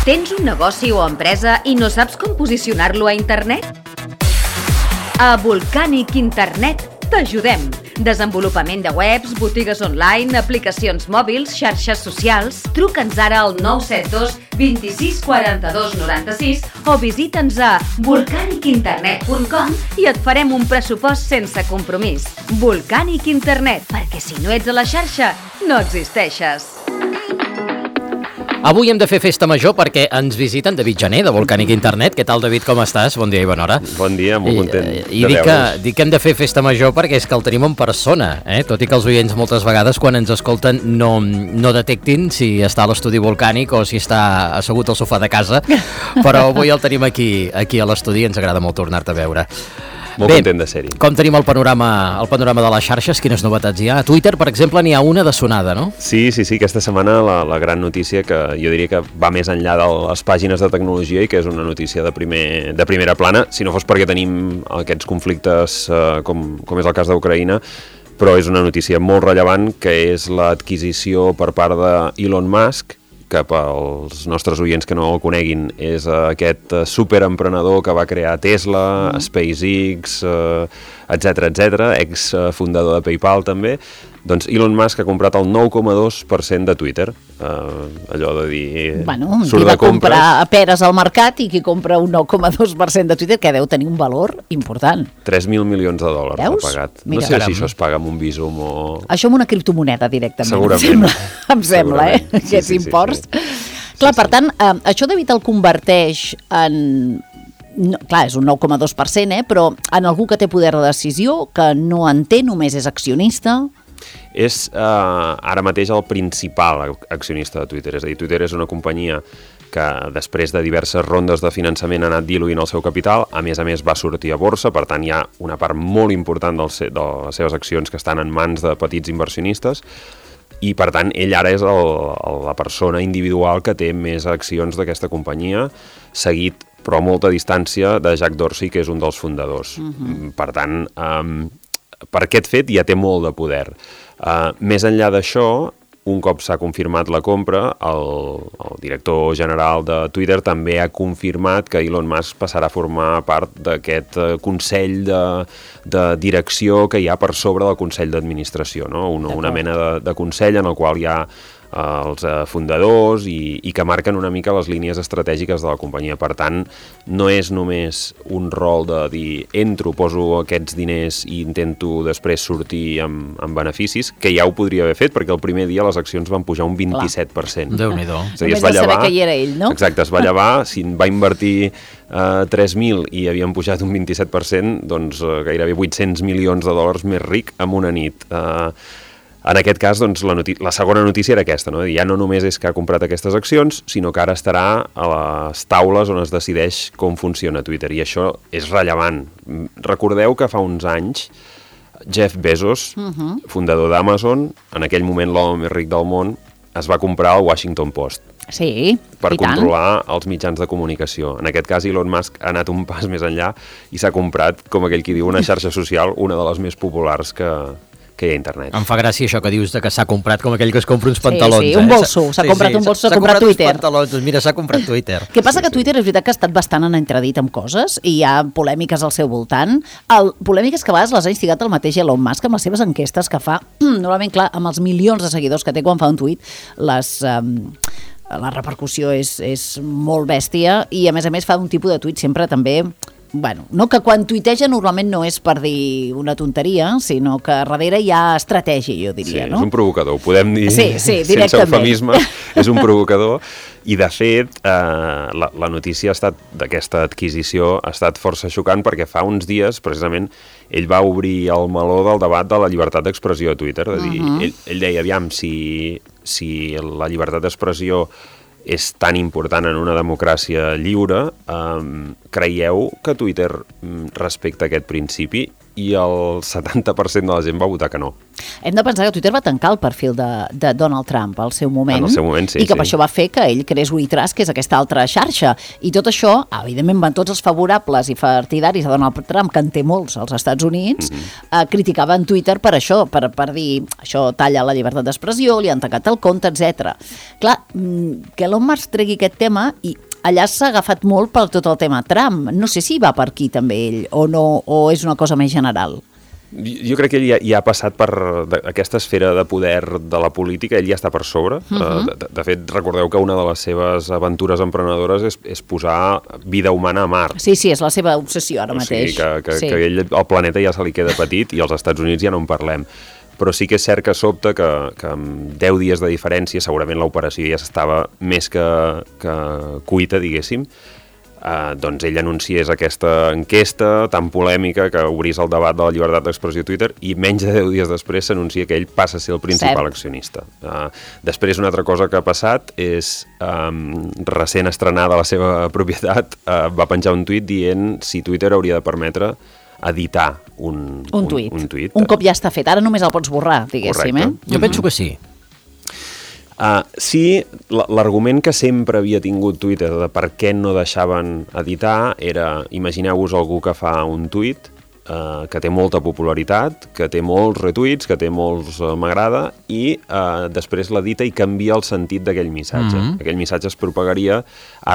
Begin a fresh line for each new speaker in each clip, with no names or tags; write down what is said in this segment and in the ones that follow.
Tens un negoci o empresa i no saps com posicionar-lo a internet? A Volcanic Internet t'ajudem. Desenvolupament de webs, botigues online, aplicacions mòbils, xarxes socials. Truca'ns ara al 972 26 42 96 o visita'ns a volcanicinternet.com i et farem un pressupost sense compromís. Volcanic Internet, perquè si no ets a la xarxa, no existeixes.
Avui hem de fer festa major perquè ens visiten David Gené, de Volcanic Internet. Què tal, David, com estàs? Bon dia i bona hora.
Bon dia, molt content de
veure's. Dic que hem de fer festa major perquè és que el tenim en persona, tot i que els oients moltes vegades quan ens escolten no detectin si està a l'estudi Volcànic o si està assegut al sofà de casa, però avui el tenim aquí a l'estudi i ens agrada molt tornar-te a veure.
Molt content de ser-hi.
Com tenim el panorama de les xarxes? Quines novetats hi ha? A Twitter, per exemple, n'hi ha una de sonada, no?
Sí, aquesta setmana la gran notícia que jo diria que va més enllà de les pàgines de tecnologia i que és una notícia de primera plana, si no fos perquè tenim aquests conflictes com és el cas d'Ucraïna, però és una notícia molt rellevant que és l'adquisició per part d'Elon Musk, que pels nostres oients que no el coneguin és aquest superemprenedor que va crear Tesla, SpaceX, etc, ex-fundador de PayPal també. Doncs Elon Musk ha comprat el 9,2% de Twitter. Allò de dir...
Bueno, qui va comprar peres al mercat i qui compra un 9,2% de Twitter, que deu tenir un valor important.
3.000 milions de dòlars ha pagat.
Mira,
no sé si això es paga amb un Bizum o...
Això amb una criptomoneda directament.
Segurament.
Em sembla, aquests imports. Clar, per tant, això David el converteix en... No, clar, és un 9,2%, però en algú que té poder de decisió, que no en té, només és accionista...
És ara mateix el principal accionista de Twitter, és a dir, Twitter és una companyia que després de diverses rondes de finançament ha anat diluint el seu capital, a més va sortir a borsa, per tant hi ha una part molt important de les seves accions que estan en mans de petits inversionistes, i per tant ell ara és la persona individual que té més accions d'aquesta companyia, seguit però a molta distància de Jack Dorsey, que és un dels fundadors. Per tant, per aquest fet ja té molt de poder. Més enllà d'això, un cop s'ha confirmat la compra, el director general de Twitter també ha confirmat que Elon Musk passarà a formar part d'aquest consell de direcció que hi ha per sobre del consell d'administració, no? Una mena de consell en el qual hi ha els fundadors i que marquen una mica les línies estratègiques de la companyia. Per tant, no és només un rol de dir entro, poso aquests diners i intento després sortir amb beneficis, que ja ho podria haver fet perquè el primer dia les accions van pujar un 27%.
Déu-n'hi-do.
Només de saber que hi era ell, no?
Exacte, es va llevar, si va invertir 3.000 i havien pujat un 27%, doncs gairebé 800 milions de dòlars més ric en una nit. En aquest cas, doncs, la segona notícia era aquesta, no? Ja no només és que ha comprat aquestes accions, sinó que ara estarà a les taules on es decideix com funciona Twitter, i això és rellevant. Recordeu que fa uns anys Jeff Bezos, fundador d'Amazon, en aquell moment l'home més ric del món, es va comprar el Washington Post.
Sí,
per controlar els mitjans de comunicació. En aquest cas, Elon Musk ha anat un pas més enllà i s'ha comprat, com aquell qui diu, una xarxa social, una de les més populars que hi ha a internet.
Em fa gràcia això que dius de que s'ha comprat com aquell que es compra uns pantalons.
Sí, un bolso, s'ha comprat un bolso, s'ha comprat Twitter.
Uns pantalons, mira, s'ha comprat Twitter.
Què passa que Twitter és veritat que ha estat bastant en entredit amb coses i hi ha polèmiques al seu voltant. Polèmiques que a vegades les ha instigat el mateix Elon Musk amb les seves enquestes que fa, normalment, clar, amb els milions de seguidors que té quan fa un tuit, la repercussió és molt bèstia i a més fa un tipus de tuit sempre també... Bueno, no que quan tuiteja normalment no és per dir una tonteria, sinó que darrere hi ha estratègia, jo diria,
sí,
no?
És un provocador, ho podem dir
sense
eufemisme, és un provocador, i de fet la notícia d'aquesta adquisició ha estat força xocant perquè fa uns dies, precisament, ell va obrir el meló del debat de la llibertat d'expressió a Twitter, de dir, ell deia, aviam, si la llibertat d'expressió és tan important en una democràcia lliure, creieu que Twitter respecta aquest principi? i el 70% de la gent va votar que no.
Hem de pensar que Twitter va tancar el perfil de Donald Trump al seu moment.
En el seu moment, sí.
I que per això va fer que ell creés WeTrust, que és aquesta altra xarxa. I tot això, evidentment, van tots els favorables i partidaris de Donald Trump, que en té molts als Estats Units, criticaven Twitter per això, per dir, això talla la llibertat d'expressió, li han tancat el compte, etc. Clar, que Elon Musk tregui aquest tema i allà s'ha agafat molt per tot el tema Trump. No sé si va per aquí també ell o no, o és una cosa més general.
Jo crec que ell ja ha passat per aquesta esfera de poder de la política, ell ja està per sobre. De fet, recordeu que una de les seves aventures emprenedores és posar vida humana a Mart.
Sí, és la seva obsessió ara mateix.
O sigui, que ell, el planeta ja se li queda petit i als Estats Units ja no en parlem. Però sí que és cert que sobta que amb 10 dies de diferència segurament l'operació ja estava més que cuita, diguéssim. Doncs ell anunciés aquesta enquesta tan polèmica que obrís el debat de la llibertat d'expressió a Twitter i menys de 10 dies després s'anuncia que ell passa a ser el principal accionista. Després una altra cosa que ha passat és recent estrenada la seva propietat, va penjar un tuit dient si Twitter hauria de permetre editar un tuit.
Un cop ja està fet, ara només el pots borrar, diguéssim.
Jo penso que sí.
Sí, l'argument que sempre havia tingut Twitter de per què no deixaven editar era, imagineu-vos algú que fa un tuit que té molta popularitat, que té molts retuits, que té molts m'agrada i després l'edita i canvia el sentit d'aquell missatge. Aquell missatge es propagaria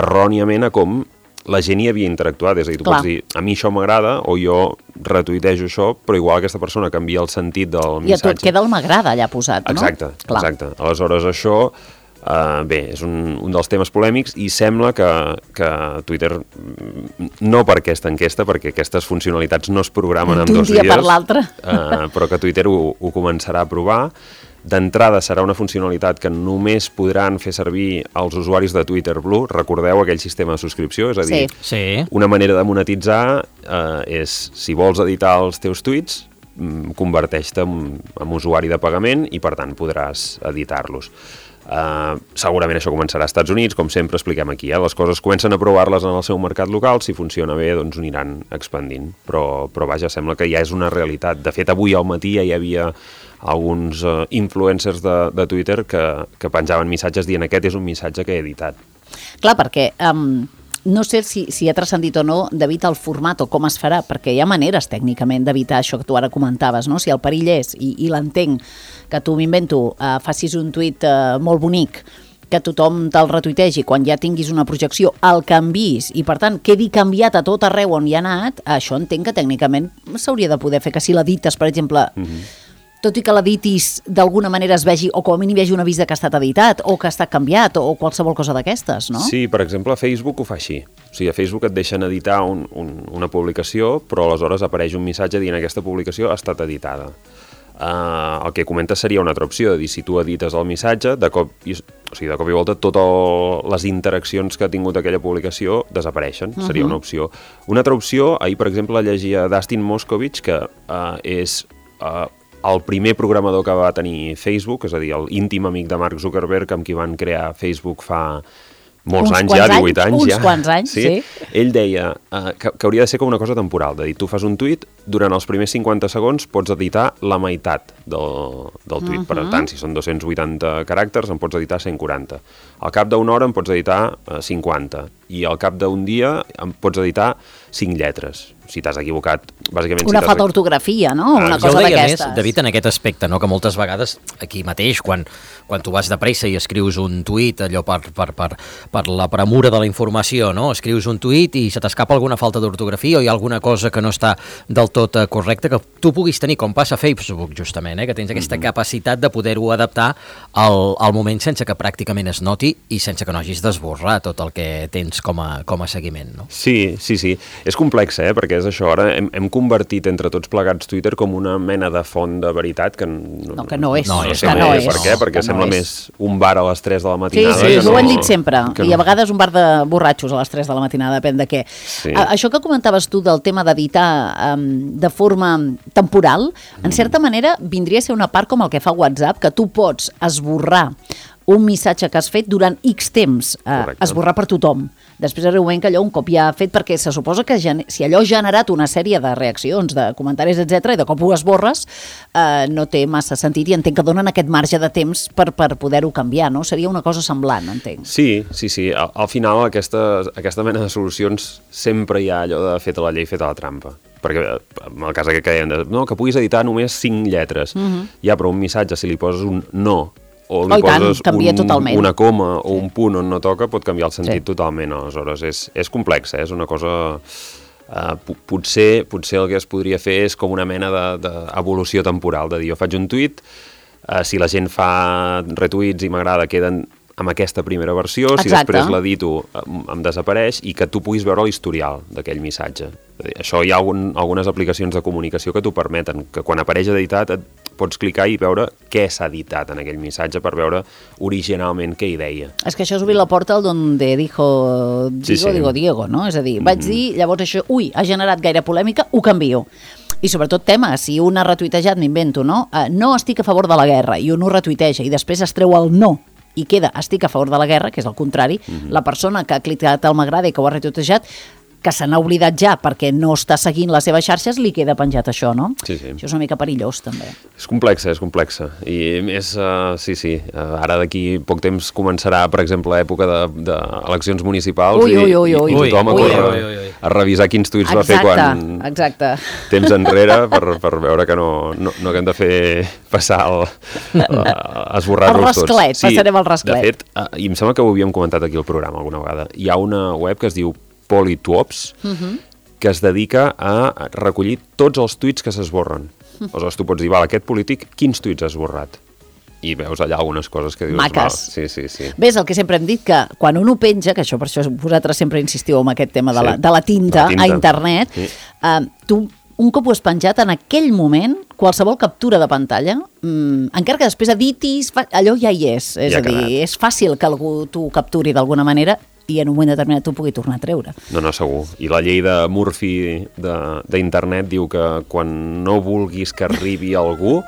erròniament a com la gent hi havia interactuat, és a dir, tu pots dir a mi això m'agrada o jo retuitejo això, però igual aquesta persona canvia el sentit del missatge.
I a tot queda el m'agrada allà posat, no?
Exacte. Aleshores això, és un dels temes polèmics i sembla que Twitter, no per aquesta enquesta, perquè aquestes funcionalitats no es programen en 2 dies,
d'un dia per l'altre,
però que Twitter ho començarà a provar. D'entrada serà una funcionalitat que només podran fer servir els usuaris de Twitter Blue. Recordeu aquell sistema de subscripció? És a dir, una manera de monetitzar és, si vols editar els teus tuits, converteix-te en usuari de pagament i, per tant, podràs editar-los. Segurament això començarà als Estats Units, com sempre expliquem aquí. Les coses comencen a provar-les en el seu mercat local, si funciona bé, doncs ho aniran expandint. Però vaja, sembla que ja és una realitat. De fet, avui al matí ja hi havia alguns influencers de Twitter que penjaven missatges dient aquest és un missatge que he editat.
Clar, perquè no sé si ha transcendit o no d'evitar el format o com es farà, perquè hi ha maneres tècnicament d'evitar això que tu ara comentaves, no? Si el perill és, i l'entenc, que tu m'invento, facis un tuit molt bonic, que tothom te'l retuitegi, quan ja tinguis una projecció, el canvis i per tant quedi canviat a tot arreu on hi ha anat, això entenc que tècnicament s'hauria de poder fer, que si l'edites, per exemple, tot i que l'editis d'alguna manera es vegi, o com a mínim hi hagi un avís que ha estat editat, o que ha estat canviat, o qualsevol cosa d'aquestes, no?
Sí, per exemple, Facebook ho fa així. O sigui, a Facebook et deixen editar una publicació, però aleshores apareix un missatge dient aquesta publicació ha estat editada. El que comentes seria una altra opció, de dir, si tu edites el missatge, de cop i volta totes les interaccions que ha tingut aquella publicació desapareixen, seria una opció. Una altra opció, ahir per exemple llegia Dustin Moskovich, que és el primer programador que va tenir Facebook, és a dir, l'íntim amic de Mark Zuckerberg, amb qui van crear Facebook fa molts anys ja, 18 anys ja.
Uns quants anys, sí.
Ell deia que hauria de ser com una cosa temporal, de dir, tu fas un tuit, durant els primers 50 segons pots editar la meitat del tuit. Per tant, si són 280 caràcters, en pots editar 140. Al cap d'una hora en pots editar 50. I al cap d'un dia en pots editar 5 lletres. Si t'has equivocat, bàsicament...
Una falta d'ortografia, no? Una cosa d'aquestes.
David, en aquest aspecte, no? Que moltes vegades, aquí mateix, quan tu vas de pressa i escrius un tuit, allò per la premura de la informació, no? Escrius un tuit i se t'escapa alguna falta d'ortografia o hi ha alguna cosa que no està del tot correcta, que tu puguis tenir, com passa a Facebook, justament, que tens aquesta capacitat de poder-ho adaptar al moment sense que pràcticament es noti i sense que no hagis d'esborrar tot el que tens com a seguiment, no?
Sí. És complex, perquè és això. Ara hem convertit entre tots plegats Twitter com una mena de font de veritat que no
és.
No sé per què, perquè sembla més un bar a les 3 de la matinada.
Sí, ho hem dit sempre. I a vegades un bar de borratxos a les 3 de la matinada, depèn de què. Sí. Això que comentaves tu del tema d'editar de forma temporal, en certa manera vindria a ser una part com el que fa WhatsApp, que tu pots esborrar un missatge que has fet durant X temps, esborrar per tothom. Després arriba un moment que allò un cop ja ha fet, perquè se suposa que si allò ha generat una sèrie de reaccions, de comentaris, etc, i de cop ho esborres, no té massa sentit, i entenc que donen aquest marge de temps per poder-ho canviar, no? Seria una cosa semblant, entenc.
Sí. Al final, aquesta mena de solucions sempre hi ha allò de feta la llei, feta la trampa. Perquè en el cas aquest que deien, que puguis editar només 5 lletres. Ja, però un missatge, si li poses un no, o li poses una coma o un punt on no toca, pot canviar el sentit totalment. Aleshores, és complex, és una cosa... Potser el que es podria fer és com una mena d'evolució temporal, de dir, jo faig un tuit, si la gent fa retuits i m'agrada, queden amb aquesta primera versió, si després l'edito em desapareix, i que tu puguis veure l'historial d'aquell missatge. Això hi ha algunes aplicacions de comunicació que t'ho permeten, que quan apareix editat pots clicar i veure què s'ha editat en aquell missatge per veure originalment què hi deia.
És que això has obrit la porta al donde digo Diego, no? És a dir, vaig dir, llavors això, ha generat gaire polèmica, ho canvio. I sobretot tema, si un ha retuitejat, m'invento, no? No estic a favor de la guerra, i un ho retuiteja, i després es treu el no, i queda estic a favor de la guerra, que és el contrari, la persona que ha clicat el m'agrada i que ho ha retuitejat, que se n'ha oblidat ja perquè no està seguint les seves xarxes, li queda penjat això, no?
Sí.
Això és una mica perillós, també.
És complexa. I més, ara d'aquí poc temps començarà, per exemple, l'època d'eleccions municipals i tothom a córrer a revisar quins tuits va fer temps enrere per veure que no haguem de fer passar esborrar-los tots.
El rasclet, passarem al rasclet.
De fet, i em sembla que ho havíem comentat aquí al programa alguna vegada, hi ha una web que es diu Politwops, que es dedica a recollir tots els tuits que s'esborren. Aleshores, tu pots dir, aquest polític, quins tuits ha esborrat? I veus allà algunes coses que dius...
Maques.
Sí.
Ves, el que sempre hem dit, que quan un ho penja, que això per això vosaltres sempre insistiu en aquest tema de la tinta a internet, tu, un cop ho has penjat, en aquell moment, qualsevol captura de pantalla, encara que després editis, allò ja hi és. És a dir, és fàcil que algú t'ho capturi d'alguna manera i en un moment determinat t'ho pugui tornar a treure.
No, segur. I la llei de Murphy d'internet diu que quan no vulguis que arribi algú,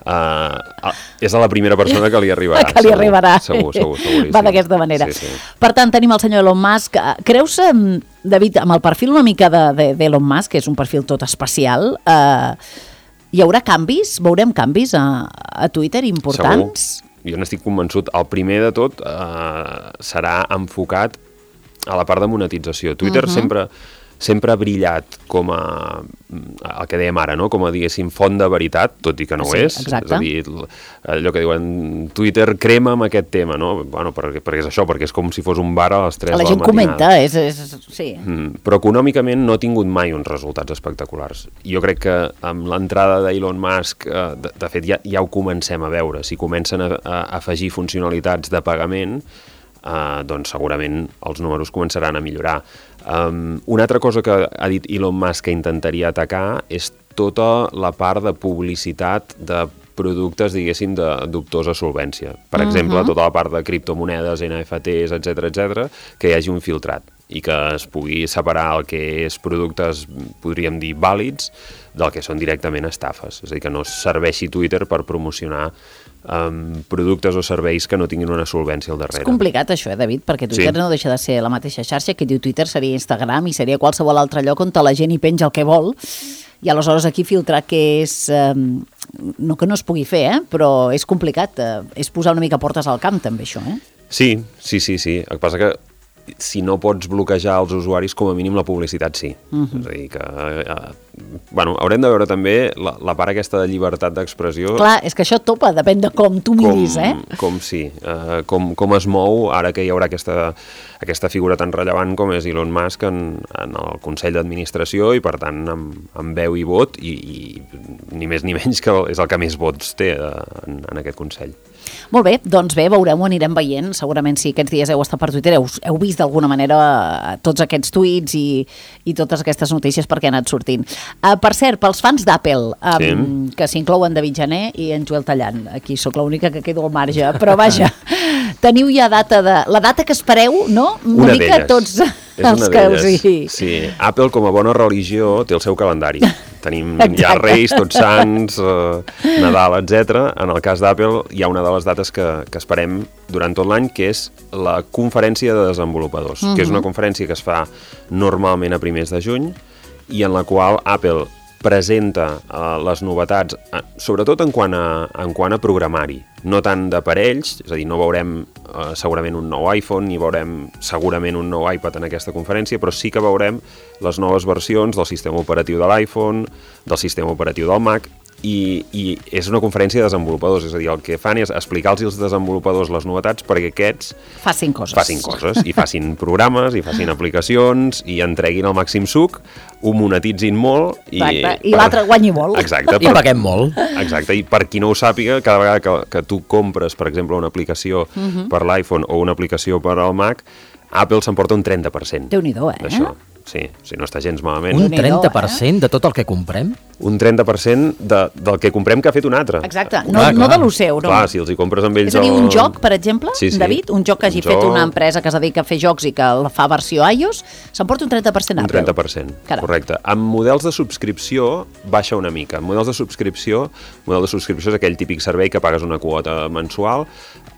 és a la primera persona que li arribarà.
Que li arribarà.
Segur.
Va d'aquesta manera.
Sí.
Per tant, tenim el senyor Elon Musk. Creus, David, amb el perfil una mica d'Elon Musk, que és un perfil tot especial, hi haurà canvis? Veurem canvis a Twitter importants?
Segur. Jo n'estic convençut. El primer de tot serà enfocat a la part de monetització. Twitter sempre ha brillat com el que dèiem ara, no? Com a, diguéssim, font de veritat, tot i que no ho és.
Exacte.
És a dir, allò que diuen, Twitter crema amb aquest tema, no? Bueno, perquè és això, perquè és com si fos un bar a les 3 de la matinada.
La gent comenta, sí.
Però econòmicament no ha tingut mai uns resultats espectaculars. Jo crec que amb l'entrada d'Elon Musk, de fet, ja ho comencem a veure. Si comencen a afegir funcionalitats de pagament, doncs segurament els números començaran a millorar. Una altra cosa que ha dit Elon Musk que intentaria atacar és tota la part de publicitat de productes, diguéssim, de dubtosa solvència. Per exemple, tota la part de criptomonedes, NFTs, etc, que hi hagi un filtrat i que es pugui separar el que és productes, podríem dir, vàlids, del que són directament estafes. És a dir, que no serveixi Twitter per promocionar productes o serveis que no tinguin una solvència al darrere.
És complicat això, David, perquè Twitter no deixa de ser la mateixa xarxa. Que diu Twitter seria Instagram i seria qualsevol altre lloc on la gent hi penja el que vol, i aleshores aquí filtrar què és... no que no es pugui fer, però és complicat. És posar una mica portes al camp, també, això,
Sí. El que passa que si no pots bloquejar els usuaris, com a mínim la publicitat sí. És a dir, que... haurem de veure també la part aquesta de llibertat d'expressió.
Clar, és que això topa, depèn de com tu miris,
com es mou ara que hi haurà aquesta figura tan rellevant com és Elon Musk en el Consell d'Administració i, per tant, amb veu i vot, i ni més ni menys que és el que més vots té en aquest Consell.
Molt bé, doncs veurem, ho anirem veient. Segurament si aquests dies heu estat per Twitter heu vist d'alguna manera tots aquests tuits i totes aquestes notícies perquè han anat sortint. Per cert, pels fans d'Apple, que s'inclouen David Jané i en Joel Tallant, aquí sóc l'única que quedo al marge, però vaja, teniu ja la data que espereu, no?
Una d'elles.
Tots...
És una d'elles. Sí, Apple, com a bona religió, té el seu calendari. Tenim ja Reis, Tots Sants, Nadal, etc. En el cas d'Apple hi ha una de les dates que esperem durant tot l'any, que és la conferència de desenvolupadors, que és una conferència que es fa normalment a primers de juny i en la qual Apple presenta les novetats, sobretot en quant a programari, no tant d'aparells, és a dir, no veurem segurament un nou iPhone, ni veurem segurament un nou iPad en aquesta conferència, però sí que veurem les noves versions del sistema operatiu de l'iPhone, del sistema operatiu del Mac, i és una conferència de desenvolupadors, és a dir, el que fan és explicar-los als desenvolupadors les novetats perquè aquests
facin coses
i facin programes, i facin aplicacions, i entreguin el màxim suc, ho monetitzin molt i
l'altre guanyi molt.
Exacte.
I paguem molt.
Exacte, i per qui no ho sàpiga, cada vegada que tu compres, per exemple, una aplicació per l'iPhone o una aplicació per al Mac, Apple s'emporta un 30%.
Déu-n'hi-do,
d'això. Sí, si no està gens malament.
Un 30% de tot el que comprem?
Un 30% del que comprem que ha fet un altre.
Exacte, no de lo seu, no?
Clar, si els hi compres amb ells...
És a dir, un joc, per exemple,
sí.
David, un joc que hagi fet una empresa que es dedica a fer jocs i que la fa versió iOS, s'emporta un 30% Apple.
Un 30%, correcte. Amb models de subscripció baixa una mica. Model de subscripció és aquell típic servei que pagues una quota mensual.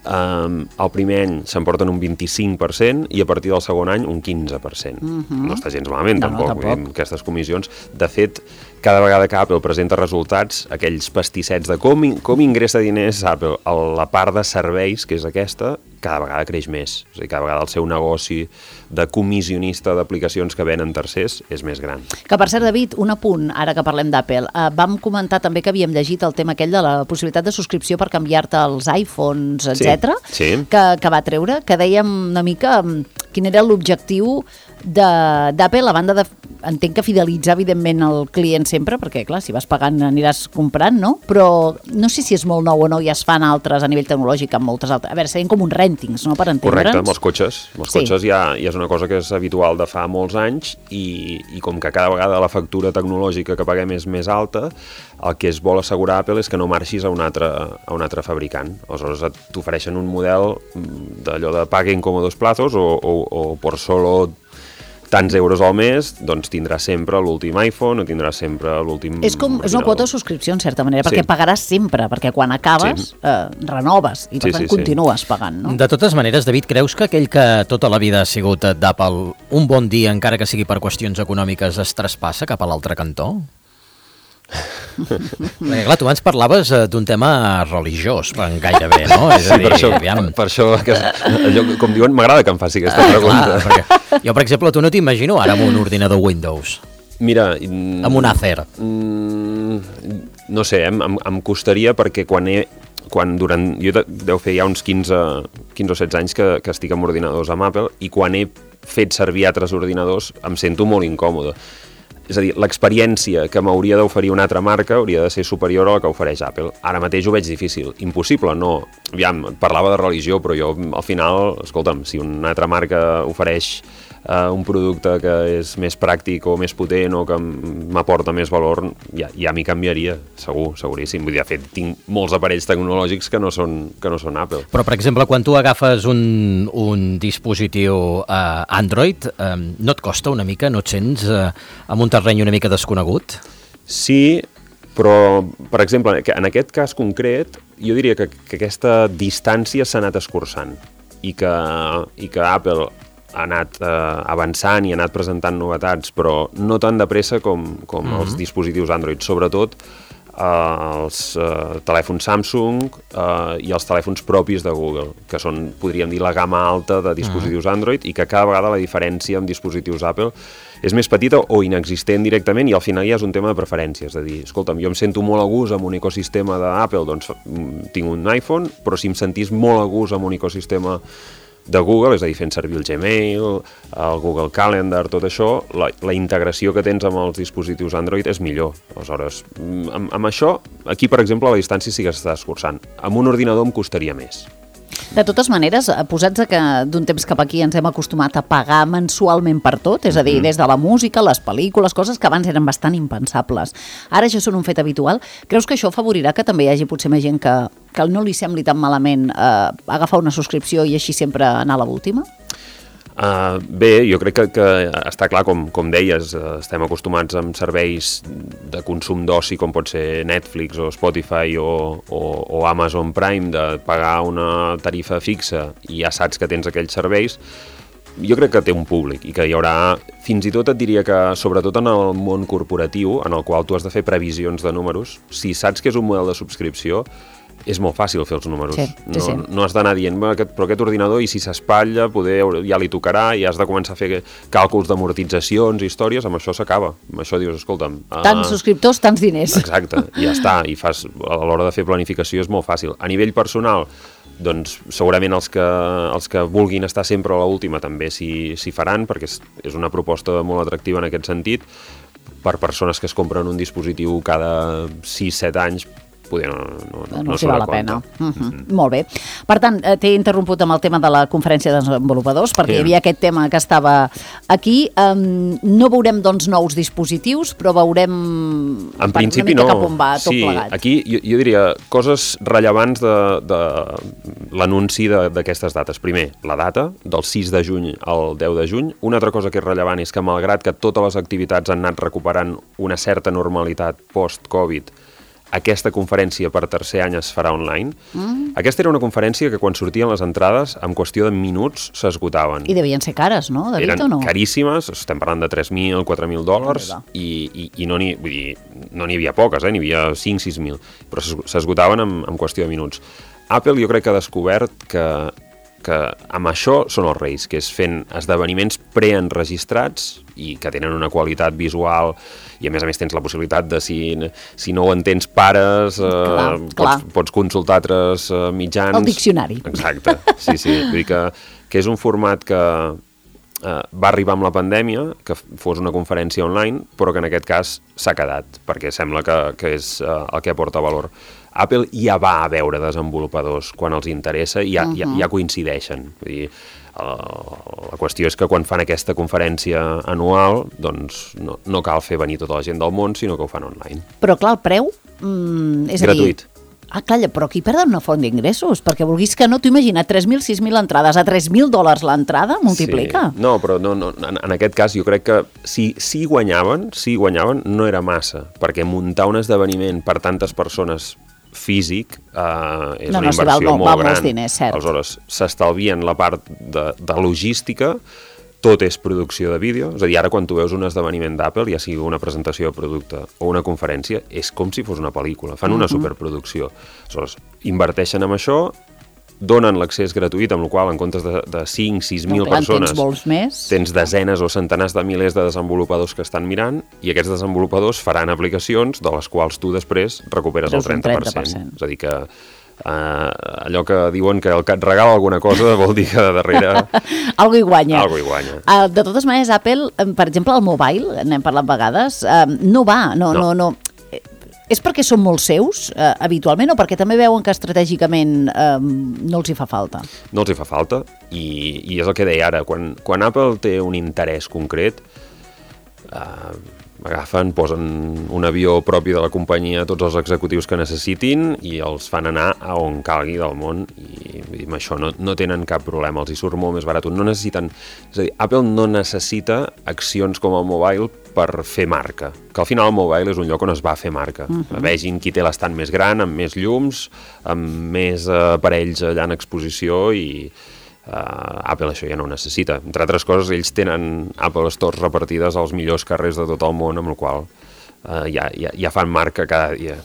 El primer any s'emporten un 25% i a partir del segon any un 15%. No està gens malament, tampoc. Aquestes comissions, de fet, cada vegada que Apple presenta resultats, aquells pastissets de com ingressa diners Apple, la part de serveis, que és aquesta, cada vegada creix més. És a dir, cada vegada el seu negoci de comissionista d'aplicacions que venen tercers és més gran.
Que, per cert, David, un apunt, ara que parlem d'Apple. Vam comentar també que havíem llegit el tema aquell de la possibilitat de subscripció per canviar-te els iPhones, etc. Que va treure, que dèiem una mica quin era l'objectiu d'Apple, a banda de, entenc que fidelitzar evidentment el client sempre, perquè clar, si vas pagant aniràs comprant, no? Però no sé si és molt nou o no, ja es fan altres a nivell tecnològic amb moltes altres. A veure, serien com uns rèntings, no?, per entendre'ns.
Correcte, amb els cotxes. Amb els cotxes ja és una cosa que és habitual de fa molts anys i com que cada vegada la factura tecnològica que paguem és més alta, el que es vol assegurar Apple és que no marxis a un altre fabricant. Aleshores t'ofereixen un model d'allò de pague en còmodos plazos o por solo tants euros al mes, doncs tindràs sempre l'últim iPhone o tindràs sempre l'últim...
És una quota de subscripció, en certa manera, perquè pagaràs sempre, perquè quan acabes renoves i per tant continues pagant, no?
De totes maneres, David, creus que aquell que tota la vida ha sigut d'Apple, un bon dia, encara que sigui per qüestions econòmiques, es traspassa cap a l'altre cantó? Perquè clar, tu abans parlaves d'un tema religiós gairebé, no? És a dir,
per això allò, com diuen, m'agrada que em faci aquesta pregunta.
Clar, jo, per exemple, tu no t'imagino ara amb un ordinador Windows.
Mira...
Amb un Acer.
No sé, em costaria perquè jo deu fer ja uns 15 o 16 anys que estic amb ordinadors amb Apple i quan he fet servir altres ordinadors em sento molt incòmode. És a dir, l'experiència que m'hauria d'oferir una altra marca hauria de ser superior a la que ofereix Apple. Ara mateix ho veig difícil. Impossible, no. Aviam, parlava de religió, però jo al final, escolta'm, si una altra marca ofereix un producte que és més pràctic o més potent o que m'aporta més valor, ja m'hi canviaria, seguríssim. Vull dir, de fet, tinc molts aparells tecnològics que no són Apple.
Però, per exemple, quan tu agafes un dispositiu Android, no et costa una mica? No et sents en un terreny una mica desconegut?
Sí, però, per exemple, en aquest cas concret, jo diria que aquesta distància s'ha anat escurçant i que Apple ha anat avançant i ha anat presentant novetats, però no tan de pressa com els dispositius Android, sobretot els telèfons Samsung i els telèfons propis de Google, que són, podríem dir, la gamma alta de dispositius Android i que cada vegada la diferència amb dispositius Apple és més petita o inexistent directament i al final ja és un tema de preferència, és a dir, escolta'm, jo em sento molt a gust amb un ecosistema d'Apple, doncs tinc un iPhone, però si em sentís molt a gust amb un ecosistema de Google, és a dir, fent servir el Gmail, el Google Calendar, tot això, la integració que tens amb els dispositius Android és millor. Aleshores, amb això, aquí, per exemple, la distància sí que s'està escurçant. Amb un ordinador em costaria més.
De totes maneres, posats que d'un temps cap aquí ens hem acostumat a pagar mensualment per tot, és a dir, des de la música, les pel·lícules, coses que abans eren bastant impensables. Ara ja són un fet habitual. Creus que això afavorirà que també hi hagi potser més gent que no li sembli tan malament agafar una subscripció i així sempre anar a l'última?
Bé, jo crec que està clar, com deies, estem acostumats amb serveis de consum d'oci com pot ser Netflix o Spotify o Amazon Prime, de pagar una tarifa fixa i ja saps que tens aquells serveis. Jo crec que té un públic i que hi haurà, fins i tot et diria que sobretot en el món corporatiu, en el qual tu has de fer previsions de números, si saps que és un model de subscripció, és molt fàcil fer els números.
Sí.
No has d'anar dient, però aquest ordinador, i si s'espatlla, poder ja li tocarà, i has de començar a fer càlculs d'amortitzacions i històries, amb això s'acaba. Amb això dius, escolta'm...
Tants subscriptors, tants diners.
Exacte, i ja està, i a l'hora de fer planificació és molt fàcil. A nivell personal, doncs segurament els que vulguin estar sempre a l'última també s'hi faran, perquè és una proposta molt atractiva en aquest sentit. Per persones que es compren un dispositiu cada 6-7 anys, poder no
s'hi val la pena. Molt bé. Per tant, t'he interromput amb el tema de la conferència de desenvolupadors, perquè hi havia aquest tema que estava aquí. No veurem, doncs, nous dispositius, però veurem
en principi no.
Cap on va tot plegat.
Aquí jo diria coses rellevants de l'anunci d'aquestes dates. Primer, la data, del 6 de juny al 10 de juny. Una altra cosa que és rellevant és que, malgrat que totes les activitats han anat recuperant una certa normalitat post-Covid, aquesta conferència per tercer any es farà online. Aquesta era una conferència que quan sortien les entrades, en qüestió de minuts, s'esgotaven.
I devien ser cares, no, David, o no?
Eren caríssimes, estem parlant de $3.000, $4.000, i no n'hi havia poques, n'hi havia 5-6.000, però s'esgotaven en qüestió de minuts. Apple jo crec que ha descobert que amb això són els reis, que és fent esdeveniments preenregistrats i que tenen una qualitat visual, i a més tens la possibilitat de, si no ho entens, pares, pots consultar altres mitjans.
El diccionari.
Exacte, sí. Vull dir que és un format que va arribar amb la pandèmia, que fos una conferència online, però que en aquest cas s'ha quedat, perquè sembla que és el que aporta valor. Apple ja va a veure desenvolupadors quan els interessa i ja coincideixen. Vull dir, la qüestió és que quan fan aquesta conferència anual, doncs no cal fer venir tota la gent del món, sinó que ho fan online.
Però clar, el preu és
gratuït.
Calla, però aquí perden una font d'ingressos, perquè vulguis que no, t'ho imagina, 3.000, 6.000 entrades, a $3.000 l'entrada, multiplica.
Sí. No, però en aquest cas jo crec que si guanyaven, no era massa, perquè muntar un esdeveniment per tantes persones físic és una inversió molt gran.
Diners, cert.
Aleshores, s'estalvien la part de logística, tot és producció de vídeo, és a dir, ara quan tu veus un esdeveniment d'Apple, ja sigui una presentació de producte o una conferència, és com si fos una pel·lícula, fan una superproducció. Aleshores, inverteixen en això, donen l'accés gratuït, amb la qual en comptes de 5-6.000 persones, tens desenes o centenars de milers de desenvolupadors que estan mirant, i aquests desenvolupadors faran aplicacions de les quals tu després recuperes el 30%. És a dir que allò que diuen que el que et regala alguna cosa vol dir que de darrere
algo hi guanya.
De
totes maneres, Apple, per exemple, el mobile, n'hem parlat vegades, no va, no. És perquè són molt seus, habitualment, o perquè també veuen que estratègicament no els hi fa falta?
No els hi fa falta, i és el que deia ara, quan Apple té un interès concret, agafen, posen un avió propi de la companyia a tots els executius que necessitin i els fan anar a on calgui del món, i amb això no tenen cap problema, els hi surt molt més barat. No necessiten, és a dir, Apple no necessita accions com el mobile per fer marca, que al final el mobile és un lloc on es va fer marca. Vegin qui té l'estant més gran, amb més llums, amb més aparells allà en exposició, i Apple això ja no ho necessita. Entre altres coses, ells tenen Apple Stores repartides als millors carrers de tot el món, amb el qual ja fan marca cada dia.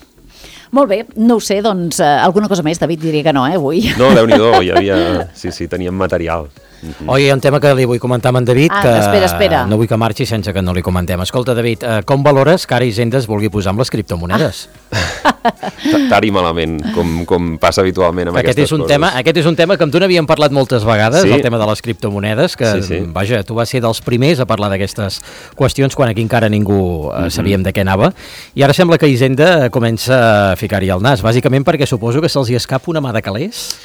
Molt bé, no ho sé, doncs alguna cosa més, David, diria que no, avui.
No, Déu-n'hi-do, teníem material.
Oi, hi ha un tema que li vull comentar amb en David, que
espera.
No vull que marxi sense que no li comentem. Escolta, David, com valores que ara Hisenda es vulgui posar amb les criptomonedes?
Tard i malament, com passa habitualment amb aquestes coses.
Aquest és un tema que amb tu n'havíem parlat moltes vegades, el tema de les criptomonedes, que, vaja, tu vas ser dels primers a parlar d'aquestes qüestions quan aquí encara ningú sabíem de què anava, i ara sembla que Hisenda comença a ficar-hi el nas, bàsicament perquè suposo que se'ls hi escapa una mà de calés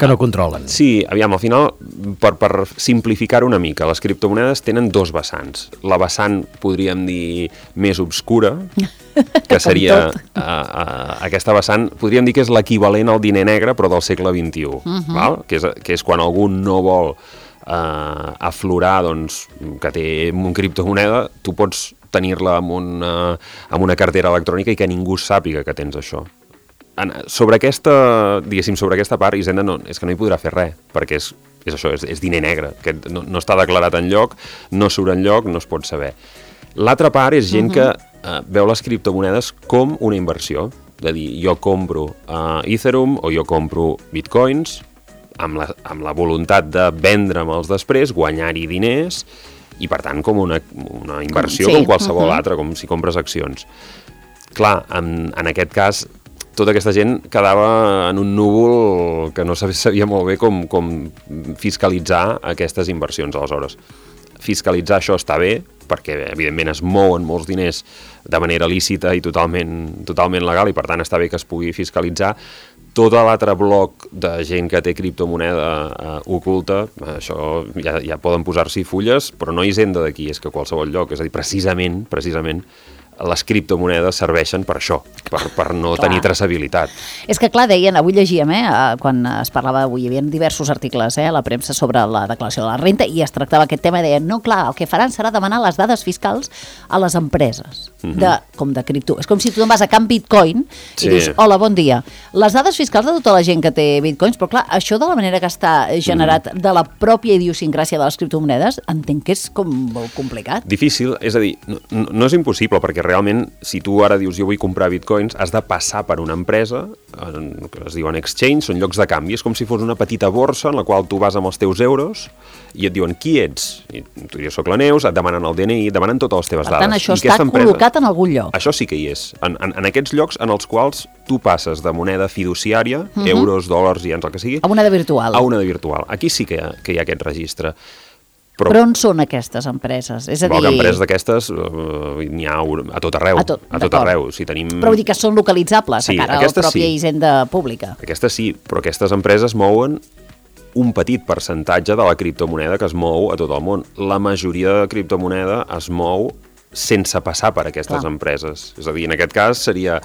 que no controlen.
Sí, aviam, al final, per simplificar una mica, les criptomonedes tenen dos vessants. La vessant, podríem dir, més obscura, que seria aquesta vessant, podríem dir que és l'equivalent al diner negre, però del segle XXI, val? Que és quan algú no vol aflorar, doncs, que té un criptomoneda, tu pots tenir-la amb una cartera electrònica i que ningú sàpiga que tens això. Sobre aquesta part, Hisenda és que no hi podrà fer res, perquè és això, és diner negre, que no està declarat enlloc, no surt enlloc, no es pot saber. L'altra part és gent que veu les criptomonedes com una inversió, de dir, jo compro Ethereum o jo compro Bitcoins amb la voluntat de vendre'ls després, guanyar-hi diners, i per tant com una inversió com qualsevol altra, com si compres accions. Clar, en aquest cas, tota aquesta gent quedava en un núvol que no sabia molt bé com fiscalitzar aquestes inversions. Aleshores, fiscalitzar això està bé, perquè evidentment es mouen molts diners de manera lícita i totalment legal, i per tant està bé que es pugui fiscalitzar. Tot l'altre bloc de gent que té criptomoneda oculta, això ja poden posar-s'hi fulles, però no Hisenda d'aquí, és que qualsevol lloc. És a dir, precisament les criptomonedes serveixen per això, per no tenir traçabilitat.
És que, clar, deien, avui llegíem, quan es parlava avui, hi havia diversos articles a la premsa sobre la declaració de la renta i es tractava aquest tema i deien, no, clar, el que faran serà demanar les dades fiscals a les empreses, com de cripto. És com si tu vas a Camp Bitcoin i dius, hola, bon dia. Les dades fiscals de tota la gent que té bitcoins, però clar, això de la manera que està generat de la pròpia idiosincràsia de les criptomonedes, entenc que és com molt complicat.
Difícil, és a dir, no és impossible, perquè realment, si tu ara dius jo vull comprar bitcoins, has de passar per una empresa, que es diuen exchange, són llocs de canvi, és com si fos una petita borsa en la qual tu vas amb els teus euros i et diuen qui ets, i tu dius soc la Neus, et demanen el DNI, et demanen totes les teves dades.
Per tant, això està col·locat en algun lloc.
Això sí que hi és, en aquests llocs en els quals tu passes de moneda fiduciària, euros, dòlars, i el que sigui,
a una de virtual.
A una de virtual. Aquí sí que hi ha aquest registre.
Però on són aquestes empreses? És a dir...
empreses d'aquestes n'hi ha a tot arreu. A tot arreu. Si tenim...
Però vull dir que són localitzables a cara a la pròpia Hisenda pública.
Aquestes sí, però aquestes empreses mouen un petit percentatge de la criptomoneda que es mou a tot el món. La majoria de criptomoneda es mou sense passar per aquestes empreses. És a dir, en aquest cas seria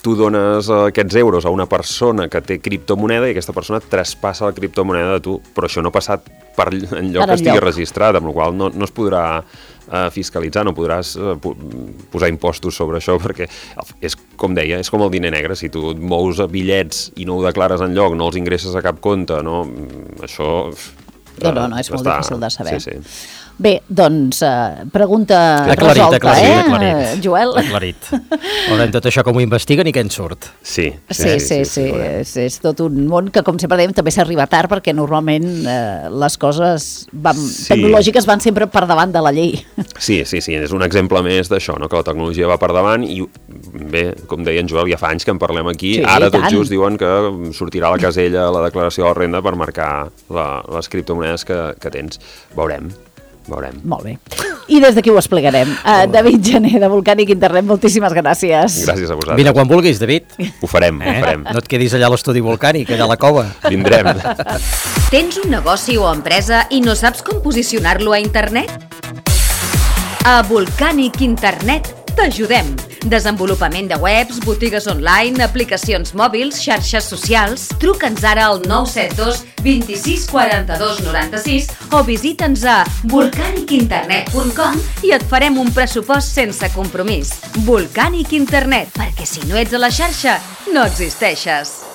tu dones aquests euros a una persona que té criptomoneda i aquesta persona traspassa la criptomoneda de tu, però això no ha passat per enlloc que estigui registrat, amb la qual no es podrà fiscalitzar, no podràs posar impostos sobre això, perquè és, com deia, és com el diner negre. Si tu et mous bitllets i no ho declares enlloc, no els ingresses a cap compte, no? Això...
No, és molt difícil de saber.
Sí.
Bé, doncs, pregunta
resolta,
Joel.
Aclarit. Veurem tot això com ho investiguen i què en surt.
Sí. És tot un món que, com sempre dèiem, també s'arriba tard perquè normalment les coses tecnològiques van sempre per davant de la llei.
Sí, és un exemple més d'això, no? Que la tecnologia va per davant i, bé, com deia en Joel, ja fa anys que en parlem aquí, ara tot just diuen que sortirà la casella a la declaració de la renda per marcar les criptomonedes que tens. Veurem.
Molt bé. I des d'aquí ho explicarem. David Gené, de Volcànic Internet, moltíssimes gràcies.
Gràcies a vosaltres.
Vine quan vulguis, David.
Ho farem.
No et quedis allà a l'estudi Volcànic, allà a la cova.
Vindrem.
Tens un negoci o empresa i no saps com posicionar-lo a internet? A Volcànic Internet t'ajudem. Desenvolupament de webs, botigues online, aplicacions mòbils, xarxes socials. Truca'ns ara al 972 26 42 96 o visita'ns a volcanicinternet.com i et farem un pressupost sense compromís. Volcànic Internet, perquè si no ets a la xarxa, no existeixes.